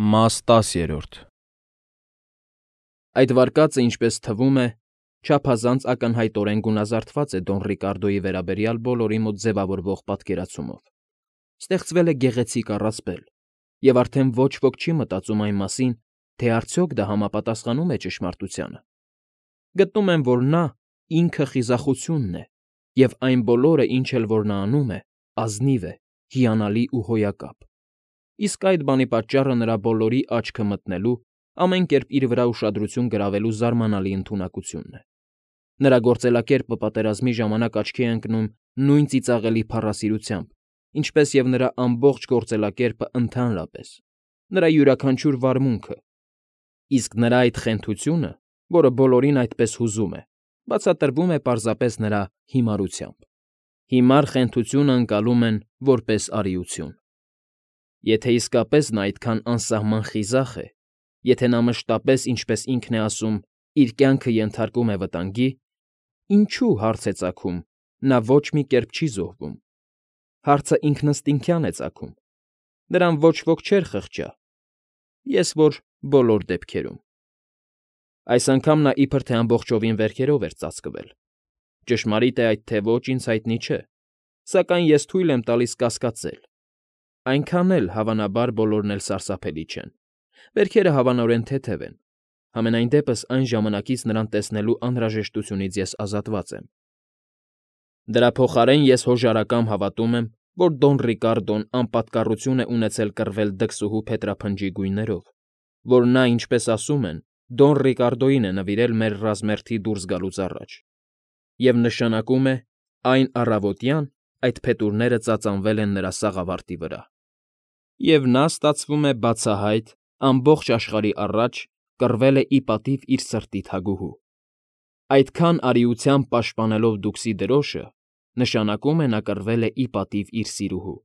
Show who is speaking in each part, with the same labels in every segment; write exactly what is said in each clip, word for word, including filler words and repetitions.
Speaker 1: Մաս տասերորդ Այդ վարկածը, ինչպես թվում է, չափազանց ակնհայտորեն գունազարդված է Դոն Ռիկարդոյի վերաբերյալ բոլորի մոտ ձևավորվող պատկերացումով. ստեղծվել է գեղեցիկ առասպել, և արդեն ոչ ոք չի մտածում այն մասին, թե արդյոք դա համապատասխանում է ճշմարտությանը. գտնում են, որ նա ինքը խիզախությունն է, և այն բոլորը, ինչ էլ որ նա անում է, ազնիվ է, հիանալի ու հոյակապ, իսկ այդ բանի պատճառը նրա բոլորի աչքը մտնելու, ամեն կերպ իր վրա ուշադրություն գրավելու զարմանալի ընդունակությունն է. նրա գործելակերպը պատերազմի ժամանակ աչքի է ընկնում նույն ծիծաղելի փառասիրությամբ, ինչպես և նրա ամբողջ գործելակերպը ընդհանրապես, նրա յուրաքանչյուր վարմունքը, իսկ նրա այդ խենթությունը, որը բոլորին այդպես հուզում է, բացատրվում է պարզապես նրա հիմարությամբ. հիմար խենթությունը ընկալում են որպես արիություն. եթե իսկապես նա այդքան անսահման խիզախ է, եթե նա մշտապես, ինչպես ինքն է ասում, իր կյանքը ենթարկում է վտանգի, ինչո՞ւ, հարց է ծագում, նա ոչ մի կերպ չի զոհվում. հարցը ինքնըստինքյան է ծագում. նրան ոչ ոք չէր խղճա, ես որ բոլոր դեպքերում. այս անգամ նա իբր թե ամբողջովին վերքերով էր ծածկվել. ճշմարիտ է այդ թե ոչ, ինձ հայտնի չէ, սակայն ես թույլ եմ տալիս կասկածել. այնքան էլ, հավանաբար, բոլորն էլ սարսափելի չեն. վերքերը հավանորեն թեթև են, համենայն դեպս այն ժամանակից նրան տեսնելու անհրաժեշտությունից ես ազատված եմ. դրա փոխարեն ես հոժարակամ հավատում եմ, որ Դոն Ռիկարդոն անպատկառություն է ունեցել կռվել դքսուհու փետրափնջի գույներով, որ նա, ինչպես ասում են, Դոն Ռիկարդոյին է նվիրել մեր ռազմերթի դուրս գալուց առաջ, և նշանակում է, այն առավոտյան այդ փետուրները ծածանվել են նրա սաղավարտի վրա, և նա, ստացվում է, բացահայտ, ամբողջ աշխարհի առաջ կռվել է ի պատիվ իր սրտի թագուհու. այդքան արիությամբ պաշտպանելով դուքսի դրոշը, նշանակում է, նա կռվել է ի պատիվ իր սիրուհու,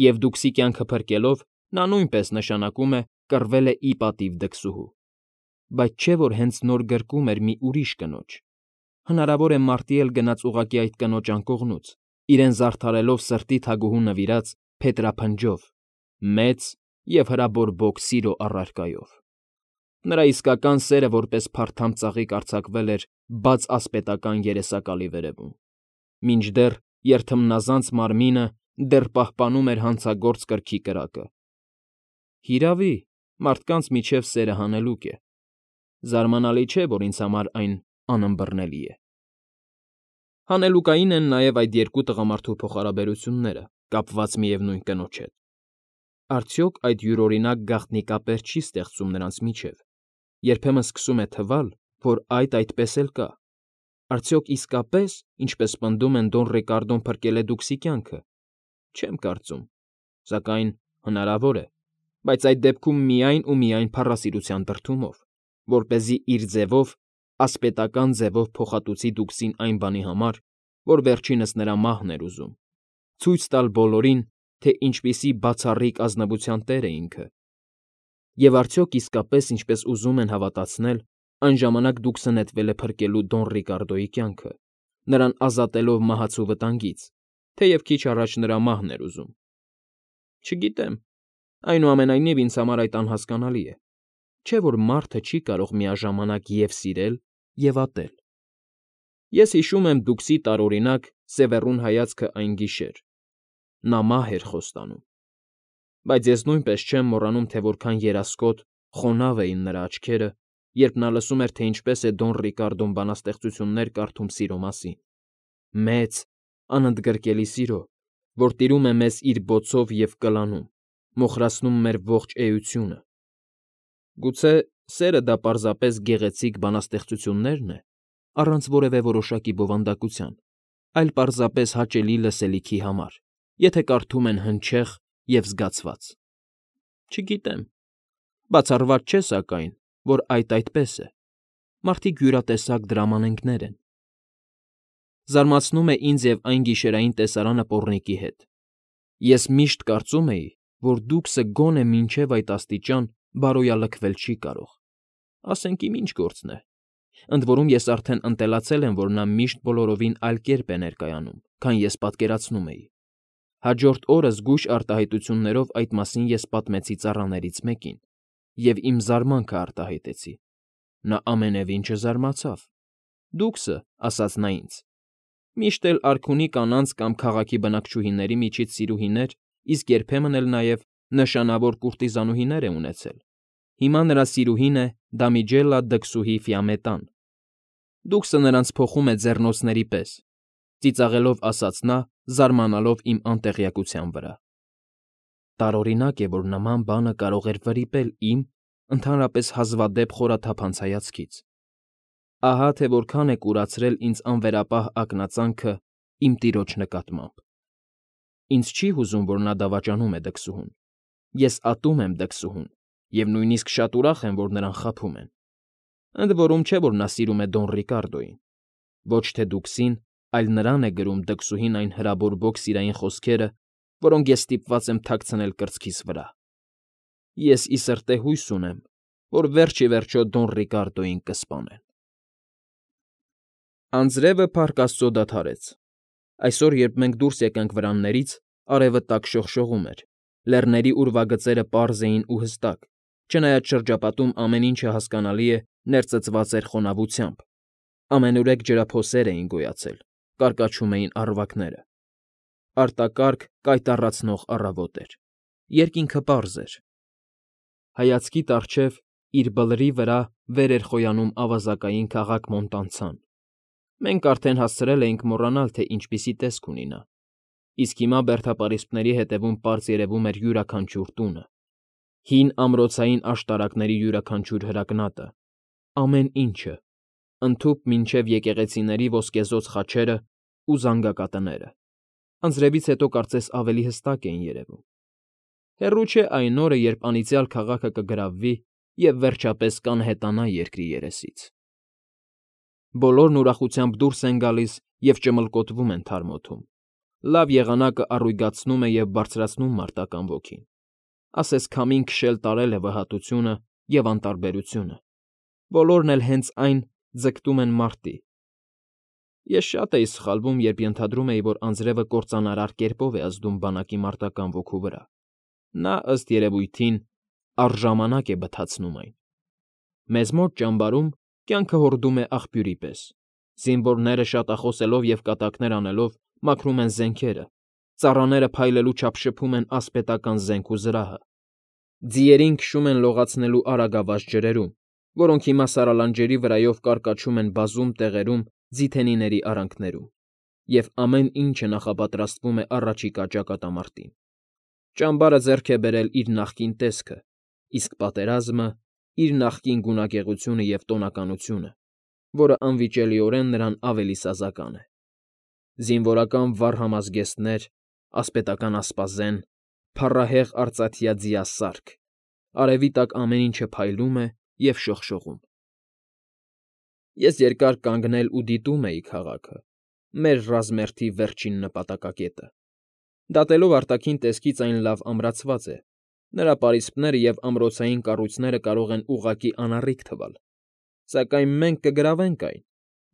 Speaker 1: և դուքսի կյանքը փրկելով, նա նույնպես, նշանակում է, կռվել է ի պատիվ դքսուհու, բայց չէ՞ որ հենց նոր գրկում էր մի ուրիշ կնոջ, հնարավոր է մարտի էլ գնաց ուղղակի այդ կնոջ անկողնուց, իրեն զարդարելով սրտի թագուհու նվիրած փետրափնջով, մեծ և հրաբորբոք սիրո առարկայով. նրա իսկական սերը որպես փարթամ ծաղիկ արձակվել էր բաց ասպետական երեսակալի վերևում, մինչդեռ երթմնազանց մարմինը դեռ պահպանում էր հանցագործ կրքի կրակը. հիրավի, մարդկանց միջև սերը հանելուկ է, զարմանալի չէ, որ ինձ համար այն անըմբռնելի է. Հանելուկային են նաև այդ երկու տղամարդու փոխհարաբերությունները, կապված միևնույն կնոջ հետ. արդյոք այդ յուրօրինակ գաղտնիկապեր չի ստեղծում նրանց միջև, երբեմն սկսում է թվալ, որ այդ այդպես էլ կա, արդյոք իսկապես, ինչպես պնդում են, Դոն Ռիկարդոն փրկել է դուքսի կյանքը, չեմ կարծում, սակայն հնարավոր է, բայց այդ դեպքում միայն ու միայն փառասիրության դրդումով, որպեսզի իր ձևով, ասպետական ձևով փոխհատուցի դուքսին այն բանի համար, որ վերջինս նրա մահն էր ուզում, ցույց տալ բոլորին, թե ինչպիսի բացառիկ ազնվության տեր է ինքը, և արդյոք իսկապես, ինչպես ուզում են հավատացնել, այն ժամանակ դուքսը նետվել է փրկելու Դոն Ռիկարդոյի կյանքը, նրան ազատելով մահացու վտանգից, թեև քիչ առաջ նրա մահն էր ուզում. չգիտեմ, այնուամենայնիվ ինձ համար այդ անհասկանալի է, չէ՞ որ մարդը չի կարող միաժամանակ և սիրել, և ատել. ես հիշում եմ դուքսի տարօրինակ, սևեռուն հայացքը այն գիշեր, նա մահ էր խոստանում, բայց ես նույնպես չեմ մոռանում, թե որքան երասկոտ, խոնավ էին նրա աչքերը, երբ նա լսում էր, թե ինչպես է Դոն Ռիկարդոն բանաստեղծություններ կարդում սիրո մասին, մեծ, անընդգրկելի սիրո, որ տիրում է մեզ իր բոցով և կլանում, մոխրացնում մեր ողջ էությունը. գուցե սերը դա պարզապես գեղեցիկ բանաստեղծություննե՞րն է, առանց որևէ որոշակի բովանդակության, այլ պարզապես հաճելի լսելիքի համար, եթե կարդում են հնչեղ և զգացված. չգիտեմ, բացառված չէ, սակայն, որ այդ այդպես է, մարդիկ յուրատեսակ դրամանենգներ են. զարմացնում է ինձ և այն գիշերային տեսարանը պոռնիկի հետ. ես միշտ կարծում էի, որ դուքսը գոնե մինչև այդ աստիճան բարոյալքվել չի կարող, ասենք իմ ինչ գործն է, ընդ որում ես արդեն ընտելացել եմ, որ նա միշտ բոլորովին այլ կերպ է ներկայանում, քան ես պատկերացնում էի, Հաջորդ օրը զգույշ արտահայտություններով այդ մասին ես պատմեցի ծառաներից մեկին և իմ զարմանքը արտահայտեցի։ Նա ամենևին չզարմացավ։ Դուքսը, ասաց նա ինձ, միշտ էլ արքունի կանանց կամ քաղաքի բնակչուհիների միջից սիրուհիներ, իսկ երբեմն էլ նաև նշանավոր կուրտիզանուհիներ է ունեցել։ Հիմա նրա սիրուհին է Դամիջելլա դքսուհի Ֆիամետան։ Դուքսը նրանց փոխում է ձեռնոցների պես, ծիծաղելով ասաց նա, զարմանալով իմ անտեղյակության վրա։ Տարօրինակ է, որ նման բանը կարող էր վրիպել իմ, ընդհանրապես հազվադեպ խորաթափանց հայացքից։ Ահա թե որքան է կուրացրել ինձ անվերապահ ակնածանքը իմ տիրոջ նկատմամբ։ Ինձ չի հուզում, որ նա դավաճանում է դքսուհուն։ Ես ատում եմ դքսուհուն և նույնիսկ շատ ուրախ եմ, որ նրան խաբում են։ Ընդ որում չէ, որ նա սիրում է Դոն Ռիկարդոյին։ Ոչ թե դուքսին, այլ նրան է գրում դքսուհին այն հրաբորբոք սիրային խոսքերը, որոնք ես ստիպված եմ թաքցնել կրծքիս վրա։ Ես ի սրտե հույս ունեմ, որ վերջ ի վերջո Դոն Ռիկարդոյին կսպանեն։ Անձրևը Փառք Աստծո դադարեց։ Այսօր, երբ մենք դուրս եկանք վրաններից, արևը տաք շողշողում էր, լեռների ուրվագծերը պարզ էին ու հստակ, չնայած շրջապատում ամեն ինչը հասկանալի է ներծծված էր խոնավությամբ։ Ամենուրեք ջրափոսեր էին գոյացել, կարկաչում էին առվակները։ Արտակարգ կայտառացնող առավոտ էր։ Երկինքը պարզ էր։ Հայացքիդ առջև իր բլրի վրա վեր էր խոյանում ավազակային քաղաք Մոնտանցան։ Մենք արդեն հասցրել էինք մոռանալ, թե ինչպիսի տեսք ունի նա, իսկ հիմա բերդապարիսպների հետևում պարզ երևում էր յուրաքանչյուր տունը, հին ամրոցային աշտարակների յուրաքանչյուր հրակնատը, ամեն ինչը, ընդհուպ մինչև եկեղեցիների ոսկեզօծ խաչերը ու զանգակատները։ Անձրևից հետո կարծես ավելի հստակ էին երևում։ Հեռու չէ այն օրը, երբ անիծյալ քաղաքը կգրավվի և վերջապես կանհետանա երկրի երեսից։ Բոլորն ուրախությամբ դուրս են գալիս և ճմլկոտվում են թարմ օդում։ Լավ եղանակը առույգացնում է և բարձրացնում մարտական ոգին։ Ասես քամին քշել տարել է վհատությունը և անտարբերությունը։ Բոլորն էլ հենց այն ձգտում են մարտի։ Ես շատ էի սխալվում, երբ ենթադրում էի, որ անձրևը կործանարար կերպով է ազդում բանակի մարտական ոգու վրա։ Նա, ըստ երևույթին, առժամանակ է բթացնում այն։ Մեզ մոտ ճամբարում կյանքը հորդում է աղբյուրի պես։ Զինվորները շատախոսելով և կատակներ անելով մաքրում են զենքերը, ծառաները փայլելու չափ շփում են ասպետական զենք ու զրահը։ Ձիերին քշում են լողացնելու արագավազ ջրերում, որոնք հիմա սարալանջերի վրայով կարկաչում են բազում տեղերում ձիթենիների արանքներում, և ամեն ինչը նախապատրաստվում է առաջիկա ճակատամարտին։ Ճամբարը ձեռք է բերել իր նախկին տեսքը, իսկ պատերազմը՝ իր նախկին գունագեղությունը և տոնականությունը, որը անվիճելիորեն նրան ավելի սազական է։ Զինվորական վառ համազգեստներ, ասպետական ասպազեն, փառահեղ արծաթյա ձիասարք, արևի տակ ամեն ինչը փայլում է և շողշողում։ Ես երկար կանգնել ու դիտում էի քաղաքը, մեր ռազմերթի վերջին նպատակակետը։ Դատելով արտաքին տեսքից այն լավ ամրացված է, նրա պարիսպները և ամրոցային կառույցները կարող են ուղղակի անառիկ թվալ, սակայն մենք կգրավենք այն,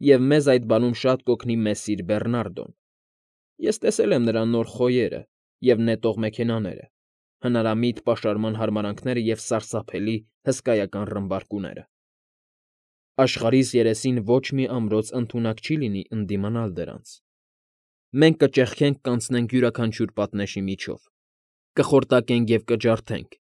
Speaker 1: և մեզ այդ բանում շատ կօգնի Մեսիր Բեռնարդոն։ Ես տեսել եմ նրա նոր խոյերը և նետող մեքենաները, հնարամիտ պաշարման հարմարանքները և սարսափելի հսկայական ռմբարկուները։ Աշխարհիս երեսին ոչ մի ամրոց ընդունակ չի լինի ընդդիմանալ դրանց։ Մենք կճեղքենք կանցնենք յուրաքանչյուր պատնեշի միջով, կխորտակենք և կջարդենք,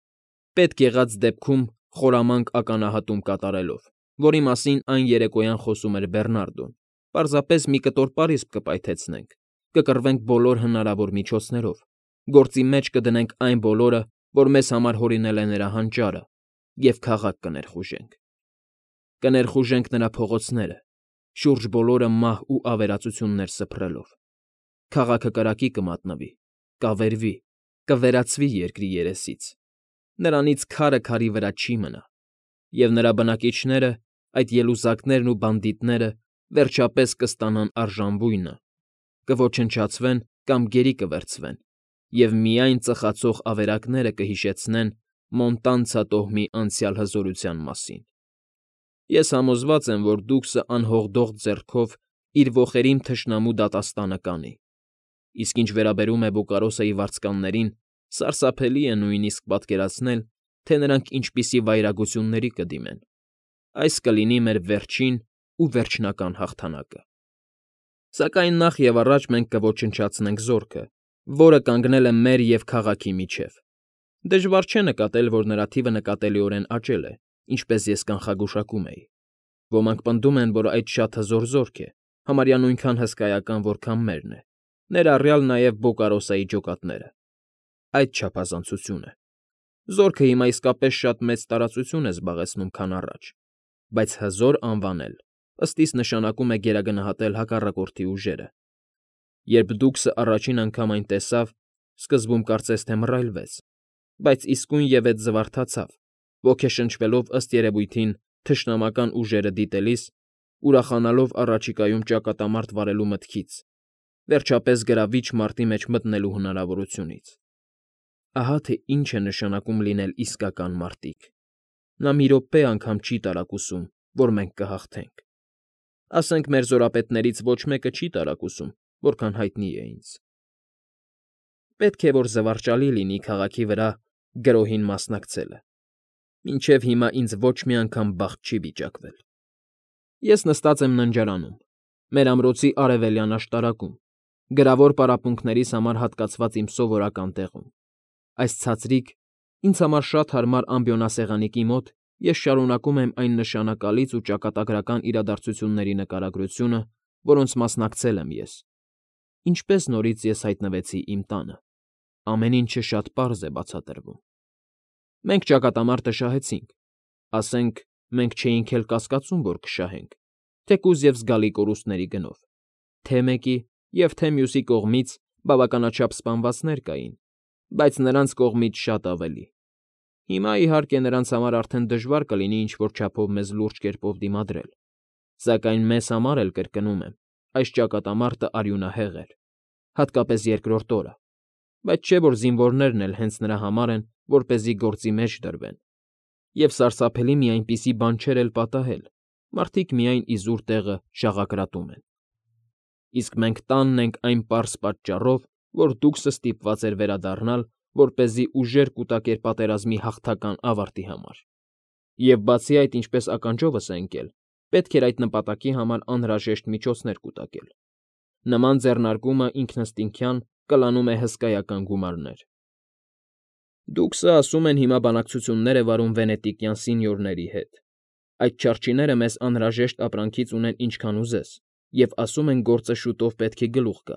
Speaker 1: պետք եղած դեպքում խորամանկ ականահատում կատարելով, որի մասին այն երեկոյան խոսում էր Բեռնարդոն, պարզապես մի կտոր պարիսպ կպայթեցնենք, կկռվենք բոլոր հնարավոր միջոցներով, գործի մեջ կդնենք այն բոլորը, որ մեզ համար հորինել է նրա հանճարը, և քաղաք կներխուժենք։ Կներխուժենք նրա փողոցները, շուրջ բոլորը մահ ու ավերածություններ սփռելով։ Քաղաքը կրակի կմատնվի, կավերվի, կվերածվի երկրի երեսից։ Նրանից քարը քարի վրա չի մնա, և նրա բնակիչները, այդ ելուզակներն ու բանդիտները, վերջապես կստանան արժանվույնը, կոչնչացվեն կամ գերի կվերցվեն, և միայն ծխացող ավերակները կհիշեցնեն Մոնտանցա տոհմի անցյալ հզորության մասին։ Ես համոզված եմ, որ Դուքսը անհողդող ձեռքով իր ոխերիմ թշնամու դատաստանը կանի, Իսկ ինչ վերաբերում է Բոկարոսայի վարձկաններին, սարսափելի է նույնիսկ պատկերացնել, թե նրանք ինչպիսի վայրագությունների կդիմեն։ Այս կլինի մեր վերջին ու վերջնական հաղթանակը։ Սակայն նախ և առաջ մենք կոչնչացնենք զորքը, որը կանգնել է մեր և քաղաքի միջև։ Դժվար չէ նկատել, որ նրա թիվը նկատելիորեն աճել է, ինչպես ես կանխագուշակում էի։ Ոմանք պնդում են, որ այդ շատ հզոր զորք է, համարյա նույնքան հսկայական, որքան մերն է, ներառյալ նաև Բոկարոսայի ջոկատները։ Այդ չափազանցություն է։ Զորքը հիմա իսկապես շատ մեծ տարածություն է զբաղեցնում, քան առաջ, բայց հզոր անվանել, ըստ իս նշանակում է գերագնահատել հակառակորդի ուժերը։ Երբ Դուքսը առաջին անգամ այն տեսավ, սկզբում կարծես թե մռայլվեց, բայց իսկույնևեթ զվարթացավ, ոգեշնչվելով ըստ երևույթին թշնամական ուժերը դիտելիս, ուրախանալով առաջիկայում ճակատամարտ վարելու մտքից, վերջապես գրավիչ մարտի մեջ մտնելու հնարավորությունից։ Ահա թե ինչ է նշանակում լինել իսկական մարտիկ։ Նա մի րոպե անգամ չի տարակուսում, որ մենք կհաղթենք։ Ասենք մեր զորապետներից ոչ մեկը չի տարակուսում, որքան հայտնի է ինձ։ Պետք է որ զվարճալի լինի քաղաքի վրա գրոհին մասնակցելը։ Մինչև հիմա ինձ ոչ մի անգամ բախտ չի վիճակվել։ Ես նստած եմ ննջարանում, մեր ամրոցի արևելյան աշտարակում, գրավոր պարապմունքներիս համար հատկացված իմ սովորական տեղում։ Այս ցածրիկ, ինձ համար շատ հարմար ամբիոնասեղանիկի մոտ ես շարունակում եմ այն նշանակալից ու ճակատագրական իրադարձությունների նկարագրությունը, որոնց մասնակցել եմ ես։ Ինչպես նորից ես հայտնվեցի իմ տանը։ Ամեն ինչը շատ պարզ է բացատրվում։ Մենք ճակատամարտը շահեցինք, ասենք, մենք չէինք էլ կասկածում, որ կշահենք, թեկուզ և զգալի կորուստների գնով, թե մեկի և թե մյուսի կողմից բավականաչափ սպանվածներ կային, բայց նրանց կողմից շատ ավելի։ Հիմա, իհարկե, նրանց համար արդեն դժվար կլինի ինչ֊որ չափով մեզ լուրջ կերպով դիմադրել, սակայն մեզ համար էլ, կրկնում եմ, այս ճակատամարտը արյունահեղ էր, հատկապես երկրորդ օրը, բայց չէ՞ որ զինվորներն էլ հենց նրա համար են, որպեսզի գործի մեջ դրվեն։ Եվ սարսափելի մի այնպիսի բան չէր էլ պատահել, մարդիկ միայն իզուր տեղը շաղակրատում են։ Իսկ մենք տանն ենք այն պարզ պատճառով, որ Դուքսը ստիպված էր վերադառնալ, որպեսզի ուժեր կուտակեր պատերազմի հաղթական ավարտի համար։ Եվ բացի այդ, ինչպես ականջովս է ընկել, պետք էր այդ նպատակի համար անհրաժեշտ միջոցներ կուտակել։ Նման ձեռնարկումը ինքնըստինքյան կլանում է հսկայական գումարներ։ Դուքսը, ասում են, հիմա բանակցություններ է վարում վենետիկյան սենյորների հետ։ Այդ չարչիները մեզ անհրաժեշտ ապրանքից ունեն ինչքան ուզես, և ասում են գործը շուտով պետք է գլուխ գա,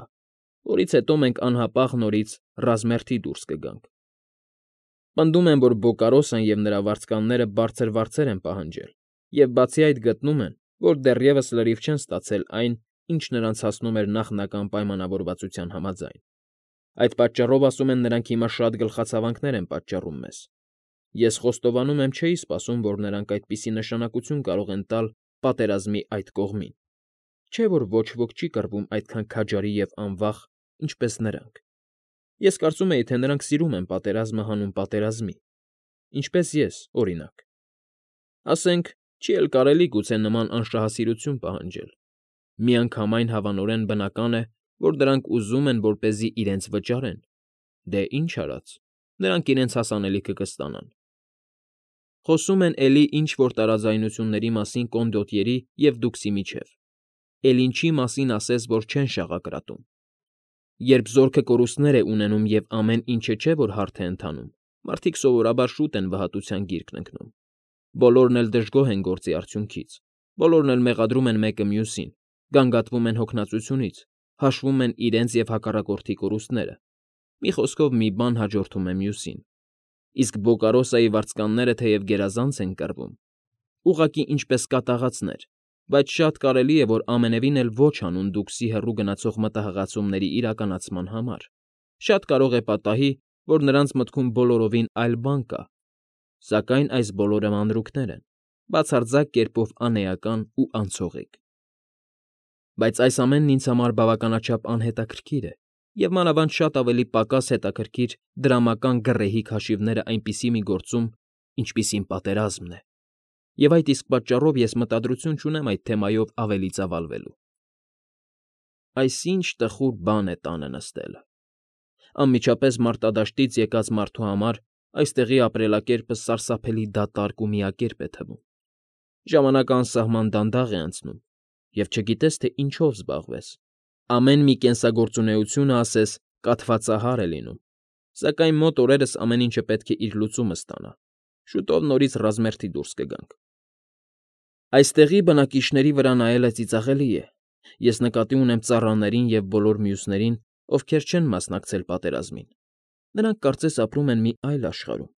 Speaker 1: որից հետո մենք անհապաղ նորից ռազմերթի դուրս կգանք։ Պնդում են, որ Բոկարոսն և նրա վարձկանները բարձր վարձեր են պահանջել, և բացի այդ գտնում են, որ դեռևս լրիվ չեն ստացել այն, ինչ նրանց հասնում էր նախնական պայմանավորվածության համաձայն։ Այդ պատճառով, ասում են, նրանք հիմա շատ գլխացավանքներ են պատճառում մեզ։ Ես խոստովանում եմ, չէի սպասում, որ նրանք այդպիսի նշանակություն կարող են տալ պատերազմի այդ կողմին։ Չէ՞ որ ոչ ոք չի կռվում այդքան քաջարի և անվախ, ինչպես նրանք։ Ես կարծում էի, թե նրանք սիրում են պատերազմը հանուն պատերազմի, ինչպես ես, օրինակ։ Ասենք, չի էլ կարելի գուցե նման անշահասիրություն պահանջել։ Միանգամայն հավանորեն բնական է, որ դրանք ուզում են, որպեսզի իրենց վճարեն։ Դե ինչ արած, նրանք իրենց հասանելիքը կստանան։ Խոսում են էլի ինչ֊որ տարաձայնությունների մասին կոնդոտյերի և Դուքսի միջև։ Էլ ինչի մասին ասես, որ չեն շաղակրատում։ Երբ զորքը կորուստներ է ունենում և ամեն ինչը չէ, որ հարթ է ընթանում, մարդիկ սովորաբար շուտ են վհատության գիրկն ընկնում։ Բոլորն էլ դժգոհ են գործի արդյունքից, բոլորն էլ մեղադրում են մեկը մյուսին, գանգատվում են հոգնածությունից, հաշվում են իրենց և հակառակորդի կորուստները։ Մի խոսքով, մի բան հաջորդում է մյուսին։ Իսկ Բոկարոսայի վարձկանները թեև գերազանց են կռվում, ուղղակի ինչպես կատաղածներ, բայց շատ կարելի է, որ ամենևին էլ ոչ հանուն Դուքսի հեռու գնացող մտահղացումների իրականացման համար։ Շատ կարող է պատահի, որ նրանց մտքում բոլորովին այլ բան կա, սակայն այս բոլորը մանրուքներ են, բացարձակ կերպով անէական ու անցողիկ։ Բայց այս ամենն ինձ համար բավականաչափ անհետաքրքիր է, և մանավանդ շատ ավելի պակաս հետաքրքիր դրամական գռեհիկ հաշիվները այնպիսի մի գործում, ինչպիսին պատերազմն է, և այդ իսկ պատճառով ես մտադրություն չունեմ այդ թեմայով ավելի ծավալվելու։ այսինչ տխուր բան է տանը նստելը։ Անմիջապես մարտադաշտից եկած մարդու համար այստեղի ապրելակերպը սարսափելի դատարկ ու միակերպ է թվում։ Ժամանակը անսահման դանդաղ է անցնում, և չգիտես, թե ինչով զբաղվես։ Ամեն մի կենսագործունեությունը, ասես, կաթվածահար է լինում, սակայն մոտ օրերս ամեն ինչը պետք է իր լուծումը ստանա, շուտով նորից ռազմերթի դուրս կգանք։ Այստեղի բնակիչների վրա նայելը ծիծաղելի է։ Ես նկատի ունեմ ծառաներին և բոլոր մյուսներին, ովքեր չեն մասնակցել պատերազմին։ Նրանք կարծես ապրում են մի այլ աշխարհում,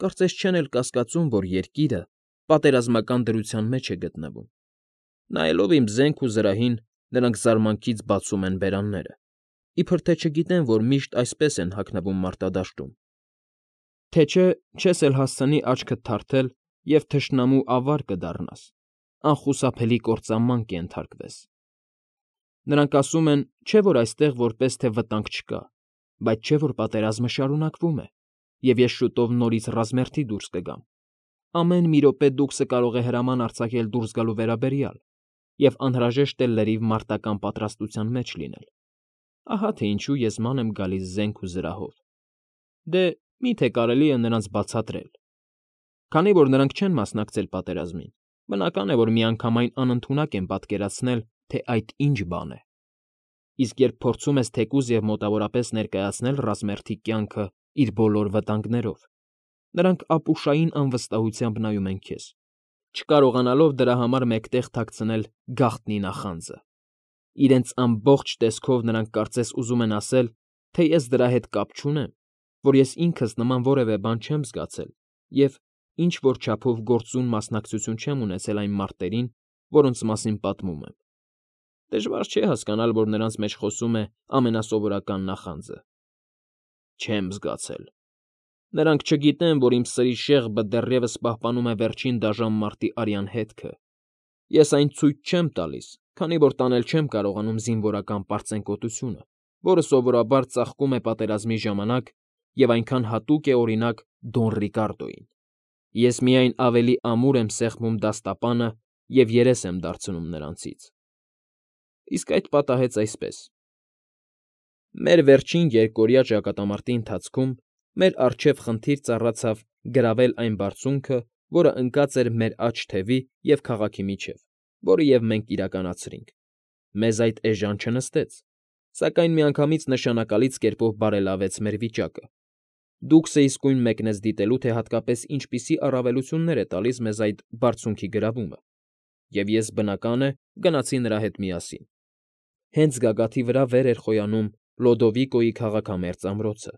Speaker 1: կարծես չեն էլ կասկածում, որ երկիրը պատերազմական դրության մեջ է գտնվում։ Նայելով իմ զենք ու զրահին, նրանք զարմանքից բացում են բերանները, իբր թե չգիտեն, որ միշտ այսպես են հագնվում մարտադաշտում։ Թե չէ չես էլ հասցնի աչքդ թարթել և թշնամու ավար կդառնաս, անխուսափելի կործանման կենթարկվես։ Նրանք ասում են, չէ՞ որ այստեղ որպես թե վտանգ չկա, բայց չէ՞ որ պատերազմը շարունակվում է, և ես շուտով նորից ռազմերթի դուրս կգամ։ Ամեն մի րոպե դուքսը կարող է հրաման արձակել դուրս գալու վերաբերյալ, և անհրաժեշտ է լրիվ մարտական պատրաստության մեջ լինել։ Ահա թե ինչու ես ման եմ գալիս զենք ու զրահով։ Դե, մի՞թե կարելի է նրանց բացատրել։ Քանի որ նրանք չեն մասնակցել պատերազմին, բնական է, որ միանգամայն անընդունակ են պատկերացնել, թե այդ ինչ բան է։ Իսկ երբ փորձում ես թեկուզ և մոտավորապես ներկայացնել ռազմերթի կյանքը իր բոլոր վտանգներով, նրանք ապուշային անվստահությամբ նայում են քեզ, չկարողանալով դրա համար մեկտեղ թաքցնել գաղտնի նախանձը։ Իրենց ամբողջ տեսքով նրանք կարծես ուզում են ասել, թե ես դրա հետ կապ չունեմ, որ ես ինքս նման որևէ բան չեմ զգացել և ինչ֊որ չափով գործուն մասնակցություն չեմ ունեցել այն մարտերին, որոնց մասին պատմում եմ։ Դժվար չէ հասկանալ, որ նրանց մեջ խոսում է ամենասովորական նախանձը. չեմ զգացել։ Նրանք չգիտեն, որ իմ սրի շեղբը դեռևս պահպանում է վերջին դաժան մարտի արյան հետքը։ Ես այն ցույց չեմ տալիս, քանի որ տանել չեմ կարողանում զինվորական պարծենկոտությունը, որը սովորաբար ծաղկում է պատերազմի ժամանակ և այնքան հատուկ է, օրինակ, Դոն Ռիկարդոյին։ Ես միայն ավելի ամուր եմ սեղմում դաստապանը և երես եմ դարձնում նրանցից։ Իսկ այդ պատահեց այսպես. Մեր վերջին երկօրյա ճակատամարտի ընթացքում մեր առջև խնդիր ծառացավ գրավել այն բարձունքը, որը ընկած էր մեր աջ թևի և քաղաքի միջև, որը և մենք իրականացրինք։ Մեզ այդ էժան չնստեց, սակայն միանգամից նշանակալից կերպով բարելավեց մեր վիճակը։ Դուքսը իսկույն մեկնեց դիտելու, թե հատկապես ինչպիսի առավելություններ է տալիս մեզ այդ բարձունքի գրավումը, և ես, բնական է, գնացի նրա հետ միասին։ Հենց գագաթի վրա վեր էր խոյանում Լոդովիկոյի քաղաքամերձ ամրոցը։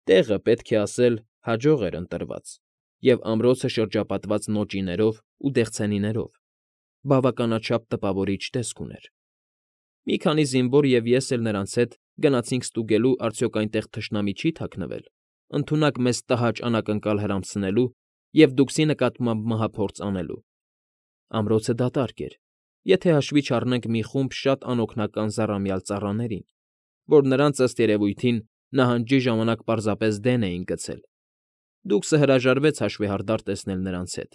Speaker 1: Տեղը, պետք է ասել, հաջող էր ընտրված, և ամրոցը շրջապատված նոճիներով ու դեղցենիներով, բավականաչափ տպավորիչ տեսք ուներ։ Մի քանի զինվոր և ես էլ նրանց հետ գնացինք ստուգելու, արդյոք այնտեղ թշնամի չի թաքնվել, ընդունակ մեզ տհաճ անակնկալ հրամցնելու և դուքսի նկատմամբ մահափորձ անելու։ Ամրոցը դատարկ էր, եթե հաշվի չառնենք մի խումբ շատ անօգնական զառամյալ ծառաներին, որ նրանց, ըստ երևույթին, նահանջի ժամանակ պարզապես դեն էին գցել։ Դուքսը հրաժարվեց հաշվեհարդար տեսնել նրանց հետ։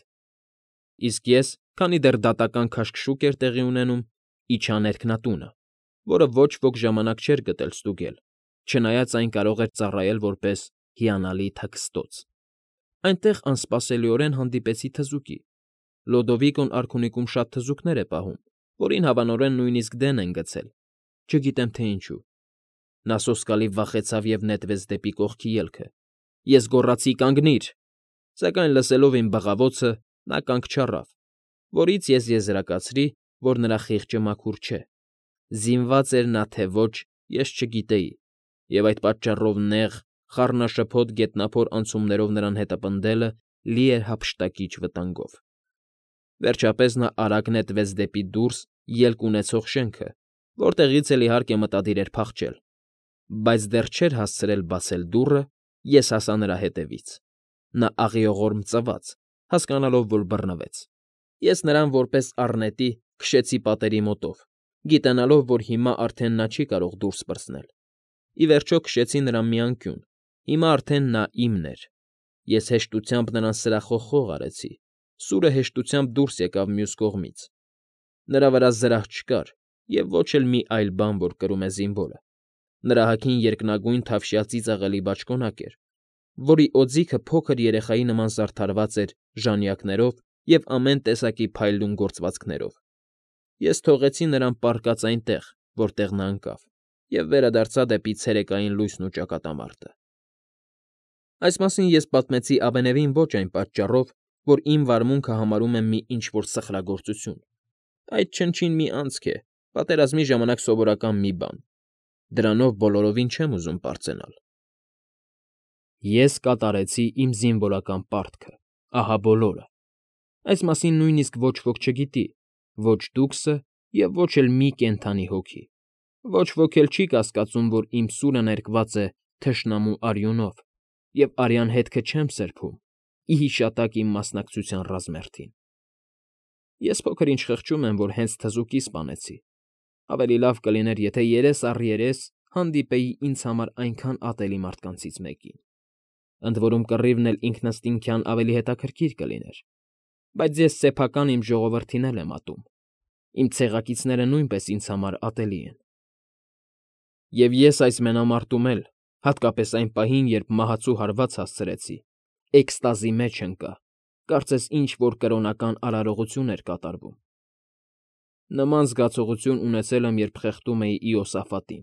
Speaker 1: Իսկ ես, քանի դեռ դատական քաշքշուկ էր տեղի ունենում, իջա ներքնատունը, որը ոչ ոք ժամանակ չէր գտել ստուգել, չնայած այն կարող էր ծառայել որպես հիանալի թաքստոց։ Այնտեղ անսպասելիորեն հանդիպեցի թզուկի։ Լոդովիկոն արքունիքում շատ թզուկներ է պահում, որին հավանորեն նույնիսկ դեն են գցել, չգիտեմ թե ինչու։ Նա սոսկալի վախեցավ և նետվեց դեպի կողքի ելքը։ Ես գոռացի. «Կանգնիր»։ Սակայն լսելով իմ բղավոցը, նա կանգ չառավ, որից ես եզրակացրի, որ նրա խիղճը մաքուր չէ։ Զինվա՞ծ էր նա, թե ոչ, ես չգիտեի, և այդ պատճառով նեղ, խառնաշփոթ գետնափոր անցումներով նրան հետապնդելը լի էր հափշտակիչ վտանգով։ Վերջապես նա արագ նետվեց դեպի դուրս ելք ունեցող շենքը, որտեղից էլ, իհարկե, մտադիր էր փախչել, բայց դեռ չէր հասցրել բացել դուռը, ես հասա նրա հետևից։ Նա աղիողորմ ծվաց, հասկանալով, որ բռնվեց։ Ես նրան որպես առնետի քշեցի պատերի մոտով, գիտակցելով, որ հիմա արդեն նա չի կարող դուրս պրծնել։ Ի վերջո քշեցի նրան մի անկյուն, հիմա արդեն նա իմն էր։ Ես հեշտությամբ նրան սրախողող արեցի, սուրը հեշտությամբ դուրս եկավ մյուս կողմից։ Նրա վրա զրահ չկար, և ոչ էլ մի այլ բան, որ կրում է զինվորը. նրա հագին երկնագույն թավշյա ծիծաղելի բաճկոնակ էր, որի օձիքը փոքր երեխայի նման զարդարված էր ժանյակներով և ամեն տեսակի փայլուն գործվածքներով։ Ես թողեցի նրան պառկած այնտեղ, որտեղ նա ընկավ, և վերադարձա դեպի ցերեկային լույսն ու ճակատամարտը։ Այս մասին ես պատմեցի ավենևին ոչ այն պատճառով, որ իմ վարմունքը համարում եմ մի ինչ֊որ սխրագործություն. այդ չնչին մի անցք է, պատերազմի ժամանակ սովորական մի բան. դրանով բոլորովին չեմ ուզում պարծենալ։ Ես կատարեցի իմ զինվորական պարտքը, ահա բոլորը։ Այս մասին նույնիսկ ոչ ոք չգիտի, ոչ դուքսը և ոչ էլ մի կենդանի հոգի։ Ոչ ոք էլ չի կասկածում, որ իմ սուրը ներկված է թշնամու արյունով, և արյան հետքը չեմ սրբում, ի հիշատակ իմ մասնակցության ռազմերթին։ Ես փոքր֊ինչ խղճում եմ, որ հենց թզուկի սպանեցի։ Ավելի լավ կլիներ, եթե երես առ երես հանդիպեի ինձ համար այնքան ատելի մարդկանցից մեկին։ Ընդ որում կռիվն էլ ինքնըստինքյան ավելի հետաքրքիր կլիներ, բայց ես սեփական իմ ժողովրդին էլ եմ ատում, իմ ցեղակիցները նույնպես ինձ համար ատելի են։ Եվ ես այս մենամարտում էլ, հատկապես այն պահին, երբ մահացու հարված հասցրեցի, էքստազի մեջ ընկա, կարծես ինչ֊որ կրոնական արարողություն էր կատարվում։ Նման զգացողություն ունեցել եմ, երբ խեղդում էի Իոսաֆատին,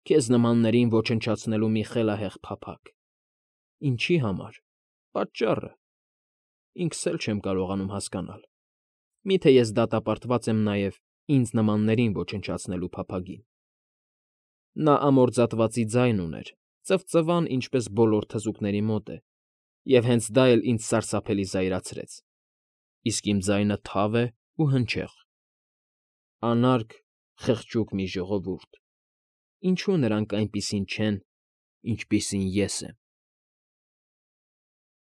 Speaker 1: քեզ նմաններին ոչնչացնելու մի խելահեղ փափագ։ Ինչի համար, պատճառը… ինքս էլ չեմ կարողանում հասկանալ։ Մի՞թե ես դատապարտված եմ նաև ինձ նմաններին ոչնչացնելու փափագին։ Նա ամորձատվածի ձայն ուներ, ծվծվան, ինչպես բոլոր թզուկների մոտ է, և հենց դա էլ ինձ սարսափելի զայրացրեց, իսկ իմ ձայնը թավ է ու հնչեղ։ Անարգ, խղճուկ մի ժողովուրդ… ինչո՞ւ նրանք այնպիսին չեն, ինչպիսին ես եմ։